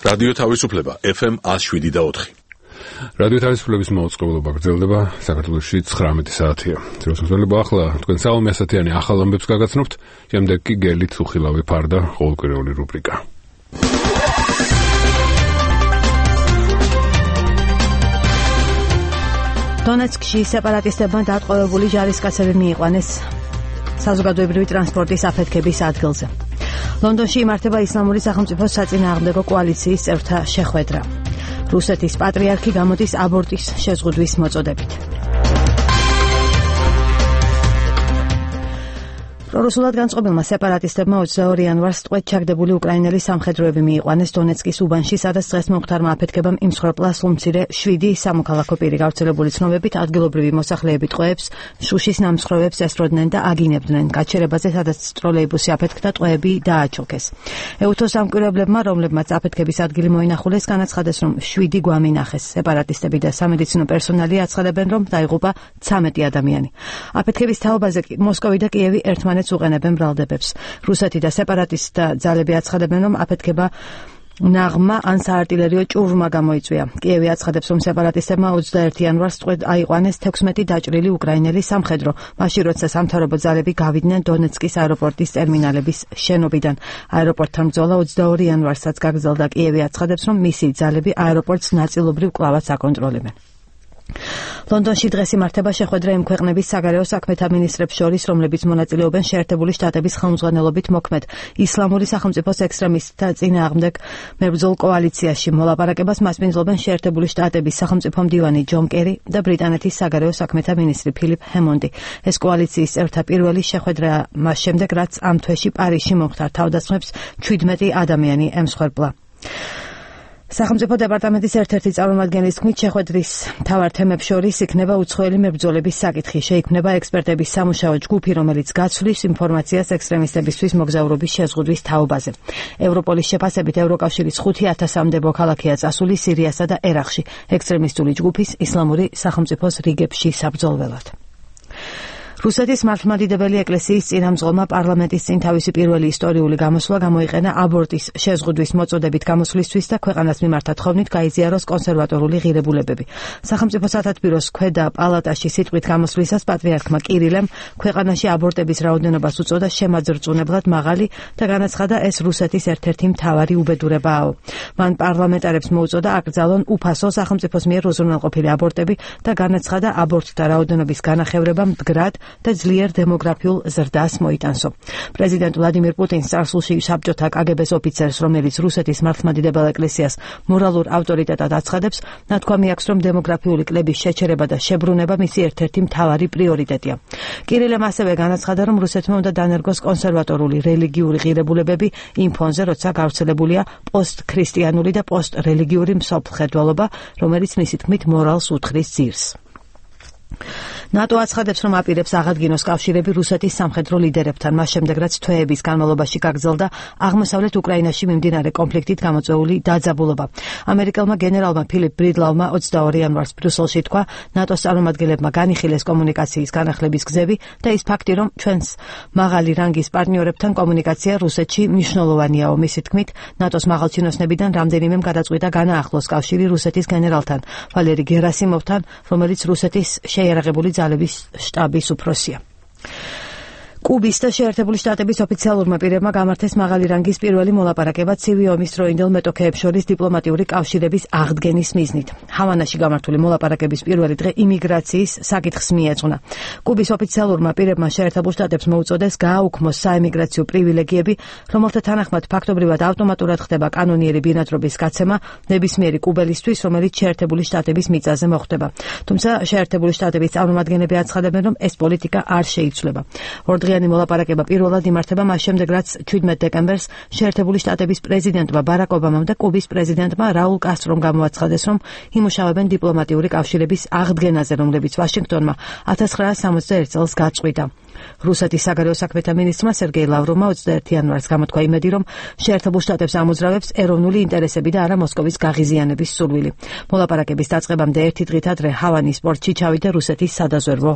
რადიო თავისუფლება FM 107.4. რადიო თავისუფლების მოწყობილობა გრძელდება საქართველოში 19 საათია. ძროსმოსვლება ახლა თქვენ საომე ასათიანი ახალ ამბებს გაგაცნობთ, შემდეგ კი გელით უხილავი ფარდა ყოველკვირეული რუბრიკა. დონეცკში სეპარატისტებმა დატყვევებული ჯარისკაცები მიიყვანეს საზოგადოებრივი ტრანსპორტის აფეთქების ადგილზე. ლონდონში იმართება ისლამური სახელმწიფოს საწინააღმდეგო კოალიციის წევრთა შეხვედრა. რუსეთის პატრიარქი გამოდის აბორტის შეზღუდვის მოწოდებით. პრორუსულად განწყობილმა სეპარატისტებმა 22 იანვარს ტყვედ ჩაგდებული უკრაინელი სამხედროები მიიყვანეს დონეცკის უბანში, სადაც დღეს მომხდარმა აფეთქებამ იმსხვერპლა სულ-მცირე 7 სამოქალაქო პირი. გავრცელებული ცნობებით ადგილობრივი მოსახლეები ტყვეებს, შუშის ნამსხვრევებს ესროდნენ და აგინებდნენ. გაჩერებაზე, სადაც ტროლეიბუსი აფეთქდა, ტყვეები დააჩოქეს. ეუთოს სამკვირვებლებმა, რომლებმაც აფეთქების ადგილი მოინახულეს, განაცხადეს, რომ 7 გვამი ნახეს. სეპარატისტები და სამედიცინო პერსონალი აცხადებენ, რომ დაიღუპა 13 ადამიანი. აფეთქების თაობაზე მოსკოვი და კიევი ერთმანეთს უყენებენ ბრალდებებს. რუსეთი და სეპარატისტთა ძალები აცხადებენ, რომ აფეთქება ნაღმა ან საარტილერიო ჭურვმა გამოიწვია. კიევი აცხადებს, რომ სეპარატისტებმა 21 იანვარს ტყვედ აიყვანეს 16 დაჭრილი უკრაინელი სამხედრო, მაშინ როცა სამთავრობო ძალები გავიდნენ დონეცკის აეროპორტის ტერმინალების შენობიდან. აეროპორტთან ბრძოლა 22 იანვარსაც გაგრძელდა. კიევი აცხადებს, რომ მისი ძალები აეროპორტს ნაწილობრივ კვლავაც აკონტროლებენ. ლონდონში დღეს იმართება შეხვედრა იმ ქვეყნების საგარეო საქმეთა მინისტრებს შორის, რომლებიც მონაწილეობენ შეერთებული შტატების ხელმძღვანელობით მოქმედ ისლამური სახელმწიფოს ექსტრემისტთა წინააღმდეგ მებრძოლ კოალიციაში. მოლაპარაკებას მასპინძლობენ შეერთებული შტატების სახელმწიფო მდივანი ჯონ კერი და ბრიტანეთის საგარეო საქმეთა მინისტრი ფილიპ ჰემონდი. ეს კოალიციის წევრთა პირველი შეხვედრა მას შემდეგ, რაც ამ თვეში პარიზში მომხდარ თავდასხმებს 17 ადამიანი ემსხვერპლა. სახელმწიფო დეპარტამენტის ერთ-ერთი წარმომადგენლის თქმით, შეხვედრის მთავარ თემებს შორის იქნება უცხოელი მებრძოლების საკითხი. შეიქმნება ექსპერტების სამუშაო ჯგუფი, რომელიც გაცვლის ინფორმაციას ექსტრემისტებისთვის მოგზაურობის შეზღუდვის თაობაზე. ევროპოლის შეფასებით ევროკავშირის 5,000-მდე მოქალაქეა წასული სირიასა და ერაყში ექსტრემისტული ჯგუფის ისლამური სახელმწიფოს რიგებში საბრძოლველად. რუსეთის მართლმადიდებელი ეკლესიის წინამძღოლმა პარლამენტის წინ თავისი პირველი ისტორიული გამოსვლა გამოიყენა აბორტის შეზღუდვის მოწოდებით გამოსვლისთვის და ქვეყანას მიმართა თხოვნით გაიზიაროს კონსერვატორული ღირებულებები. სახელმწიფო სათათბიროს ქვედა პალატაში სიტყვით გამოსვლისას პატრიარქმა კირილემ ქვეყანაში აბორტების რაოდენობას უწოდა შემაძრწუნებლად მაღალი და განაცხადა, ეს რუსეთის ერთ-ერთი მთავარი უბედურებაა. მან პარლამენტარებს მოუწოდა აკრძალონ უფასო სახელმწიფოს მიერ უზრუნველყოფილი აბორტები და განაცხადა, აბორტთა რაოდენობის განახევრება მდგრად და ძლიერ დემოგრაფიულ ზრდას მოიტანსო. პრეზიდენტ ვლადიმირ პუტინს წარსულში საბჭოთა კგბ-ს ოფიცერს, რომელიც რუსეთის მართლმადიდებელ ეკლესიას მორალურ ავტორიტეტად აცხადებს, ნათქვამი აქვს, რომ დემოგრაფიული კლების შეჩერება და შებრუნება მისი ერთ-ერთი მთავარი პრიორიტეტია. კირილემ ასევე განაცხადა, რომ რუსეთმა უნდა დანერგოს კონსერვატორული რელიგიური ღირებულებები იმ ფონზე, როცა გავრცელებულია პოსტქრისტიანული და პოსტრელიგიური მსოფლმხედველობა, რომელიც მისი თქმით მორალს უთხრის ძირს. ნატო აცხადებს, რომ აპირებს აღადგინოს კავშირები რუსეთის სამხედრო ლიდერებთან, მას შემდეგ, რაც თვეების განმავლობაში გაგრძელდა აღმოსავლეთ უკრაინაში მიმდინარე კონფლიქტით გამოწვეული დაძაბულობა. ამერიკელმა გენერალმა ფილიპ ბრიდლავმა 22 იანვარს ბრიუსელში თქვა, ნატოს წარმომადგენლებმა განიხილეს კომუნიკაციის განახლების გზები და ის ფაქტი, რომ ჩვენს მაღალი რანგის პარტნიორებთან კომუნიკაცია რუსეთში მნიშვნელოვანიაო. მისი თქმით, ნატოს მაღალჩინოსნებიდან რამდენიმემ გადაწყვიტა განაახლოს კავშირი რუსეთის გენერალთან, ვალერი გერასიმოვთან, რომელიც რუსეთის შეიარაღებული ძალების შტაბის უფროსია. კუბის და შეერთებული შტატების ოფიციალურმა პირებმა გამართეს მაღალი რანგის პირველი მოლაპარაკება ცივი ომის დროინდელ მეტოქეებს შორის დიპლომატიური კავშირების აღდგენის მიზნით. ჰავანაში გამართული მოლაპარაკების პირველი დღე იმიგრაციის საკითხს მიეძღვნა. კუბის ოფიციალურმა პირებმა შეერთებულ შტატებს მოუწოდეს გააუქმოს საემიგრაციო პრივილეგიები, რომელთა თანახმად ფაქტობრივად ავტომატურად ხდება კანონიერი ბინადრობის გაცემა ნებისმიერი კუბელისთვის, რომელიც შეერთებული შტატების მიწაზე მოხვდება. თუმცა შეერთებული შტატების წარმომადგენლები აცხადებენ, რომ ეს პოლიტიკა არ შეიცვლება. ორდღიანი მოლაპარაკება პირველად იმართება მას შემდეგ, რაც 17 დეკემბერს შეერთებული შტატების პრეზიდენტმა ბარაკ ობამამ და კუბის პრეზიდენტმა რაულ კასტრომ გამოაცხადეს, რომ იმუშავებენ დიპლომატიური კავშირების აღდგენაზე, რომლებიც ვაშინგტონმა 1961 წელს გაწყვიტა. რუსეთის საგარეო საქმეთა მინისტრმა სერგეი ლავროვმა 21 იანვარს გამოთქვა იმედი, რომ შეერთებულ შტატებს ამოძრავებს ეროვნული ინტერესები და არა მოსკოვის გაღიზიანების სურვილი. მოლაპარაკების დაწყებამდე ერთი დღით ადრე ჰავანის პორტში ჩავიდა რუსეთის სადაზვერვო